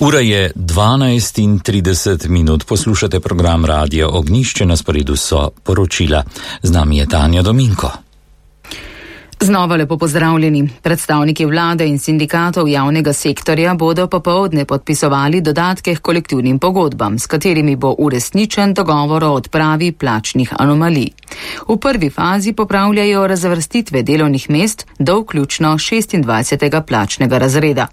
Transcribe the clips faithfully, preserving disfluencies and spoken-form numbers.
Ura je dvanajst in trideset minut, poslušate program Radia Ognjišče, na sporedu so poročila. Z nami je Tanja Dominko. Znova lepo pozdravljeni. Predstavniki vlade in sindikatov javnega sektorja bodo popoldne podpisovali dodatke k kolektivnim pogodbam, s katerimi bo uresničen dogovor o odpravi plačnih anomalij. V prvi fazi popravljajo razvrstitve delovnih mest do vključno šestindvajsetega plačnega razreda.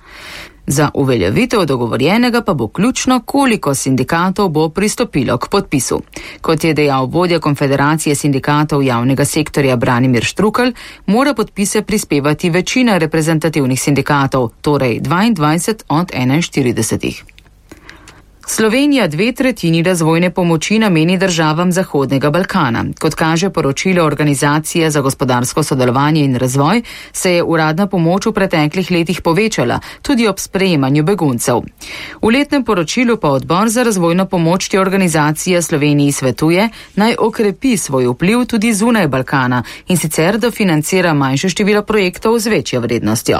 Za uveljavitev dogovorjenega pa bo ključno, koliko sindikatov bo pristopilo k podpisu. Kot je dejal vodja Konfederacije sindikatov javnega sektorja Branimir Štrukelj, mora podpise prispevati večina reprezentativnih sindikatov, torej dvaindvajset od enainštiridesetih. Slovenija dve tretjini razvojne pomoči nameni državam Zahodnega Balkana. Kot kaže poročilo Organizacije za gospodarsko sodelovanje in razvoj, se je uradna pomoč v preteklih letih povečala, tudi ob sprejemanju beguncev. V letnem poročilu pa odbor za razvojno pomoč te organizacije Sloveniji svetuje, naj okrepi svoj vpliv tudi zunaj Balkana in sicer dofinancira manjše število projektov z večjo vrednostjo.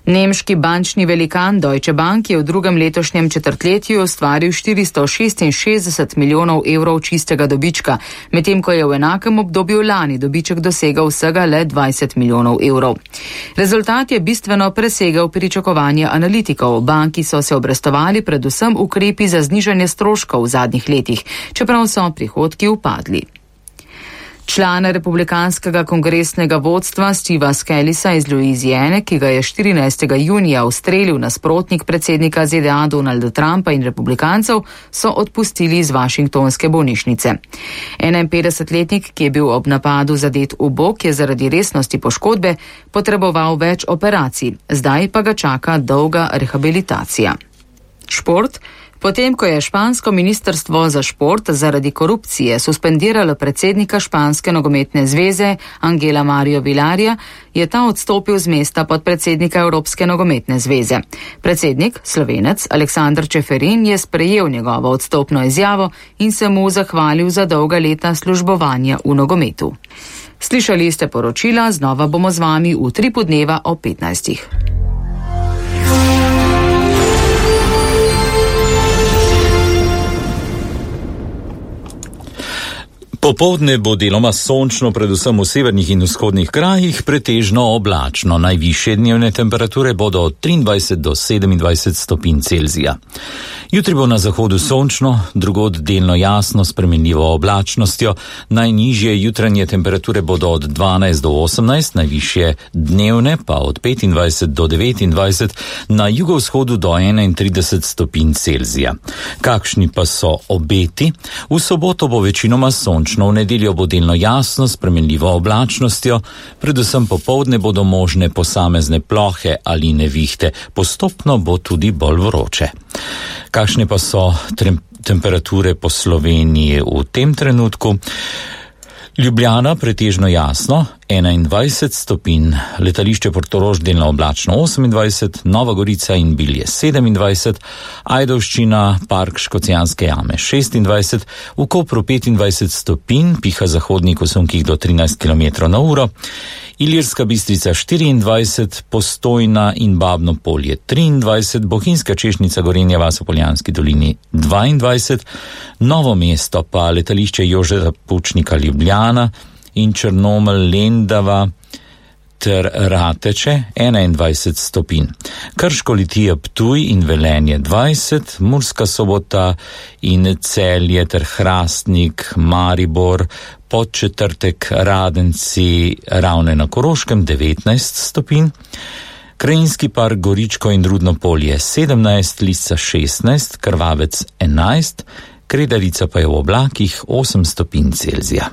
Nemški bančni velikan Deutsche Bank je v drugem letošnjem četrtletju ustvaril štiristo šestinšestdeset milijonov evrov čistega dobička, medtem ko je v enakem obdobju lani dobiček dosegal vsega le dvajset milijonov evrov. Rezultat je bistveno presegel pričakovanja analitikov. Banki so se obrestovali predvsem ukrepi za znižanje stroškov v zadnjih letih, čeprav so prihodki upadli. Člana republikanskega kongresnega vodstva Steva Scalisa iz Louisiane, ki ga je štirinajstega junija ustrelil nasprotnik predsednika Z D A Donalda Trumpa in republikancev, so odpustili iz washingtonske bolnišnice. enainpetdesetletnik, ki je bil ob napadu zadet v bok, je zaradi resnosti poškodbe potreboval več operacij, zdaj pa ga čaka dolga rehabilitacija. Šport. Potem, ko je špansko ministrstvo za šport zaradi korupcije suspendiralo predsednika španske nogometne zveze Angela Mario Vilarja, je ta odstopil z mesta podpredsednika Evropske nogometne zveze. Predsednik, Slovenec Aleksander Čeferin, je sprejel njegovo odstopno izjavo in se mu zahvalil za dolga leta službovanja v nogometu. Slišali ste poročila, znova bomo z vami v tri podneva o petnajstih. Popoldne bo deloma sončno, predvsem v severnih in vzhodnih krajih, pretežno oblačno. Najvišje dnevne temperature bodo od triindvajset do sedemindvajset stopinj Celzija. Jutri bo na zahodu sončno, drugod delno jasno s spremenljivo oblačnostjo. Najnižje jutranje temperature bodo od dvanajst do osemnajst, najvišje dnevne pa od petindvajset do devetindvajset, na jugovzhodu do enaintrideset stopinj Celzija. Kakšni pa so obeti? V soboto bo večinoma sončno. V nedeljo bo delno jasno s spremenljivo oblačnostjo, predvsem popoldne bodo možne posamezne plohe ali nevihte, postopno bo tudi bolj vroče. Kakšne pa so temperature po Sloveniji v tem trenutku? Ljubljana pretežno jasno, enaindvajset stopinj, letališče Portorož delno oblačno osemindvajset, Nova Gorica in Bilje sedemindvajset, Ajdovščina, park Škocjanske jame šestindvajset, v Kopru petindvajset stopinj, piha zahodnik v sunkih do trinajst kilometrov na uro, Ilirska Bistrica štiriindvajset, Postojna in Babno Polje triindvajset, Bohinjska Češnica, Gorenja vas v Poljanski dolini dvaindvajset, Novo mesto pa letališče Jožeta Pučnika Ljubljana in Črnomelj Lendava ter Rateče enaindvajset stopinj. Krško, Litija, Ptuj in Velenje dvajset, Murska Sobota in Celje ter Hrastnik, Maribor, Podčetrtek, Radenci, Ravne na Koroškem devetnajst stopinj, Krajinski park Goričko in Rudno Polje sedemnajst, Lisca šestnajst, Krvavec enajst, Kredarica pa je v oblakih osem stopinj Celzija.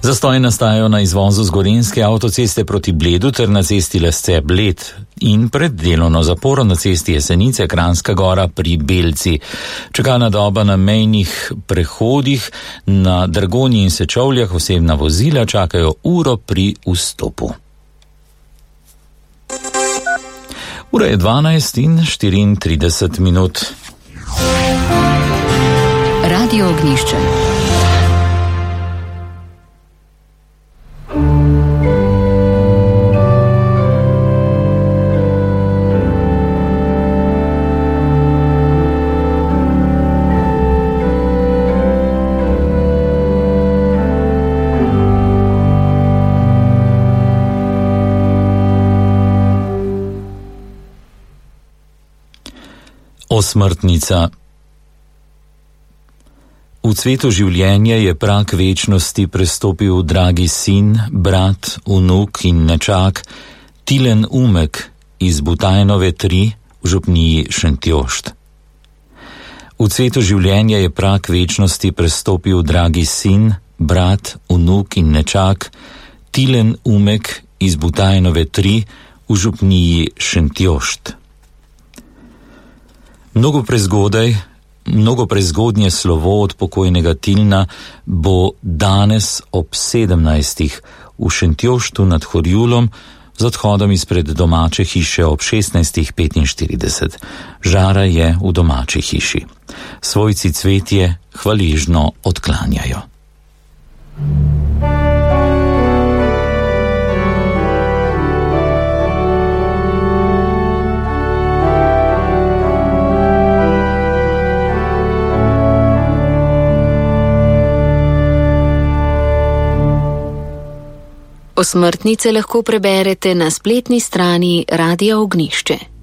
Zastoji nastajajo na izvozu z Gorenjske avtoceste proti Bledu ter na cesti Lesce-Bled in pred delovno zaporo na cesti Jesenice Kranjska Gora pri Belci. Čakalna doba na mejnih prehodih na Dragonji in Sečovljah osebna vozila čakajo uro pri vstopu. Ura je dvanajst in štiriintrideset minut. Radio Ognjišče. Osmrtnica. V cvetu življenja je prag večnosti prestopil dragi sin, brat, vnuk in nečak Tilen Umek iz Butajnove tri v župniji Šentjošt. V cvetu življenja je prag večnosti prestopil dragi sin, brat, vnuk in nečak Tilen Umek iz Butajnove tri v župniji Šentjošt. Mnogo prezgodaj, mnogo prezgodnje slovo od pokojnega Tilna bo danes ob sedemnajstih v Šentjoštu nad Horjulom z odhodom izpred domače hiše ob šestnajstih petinštirideset. Žara je v domači hiši. Svojci cvetje hvaležno odklanjajo. Osmrtnice lahko preberete na spletni strani Radia Ognjišče.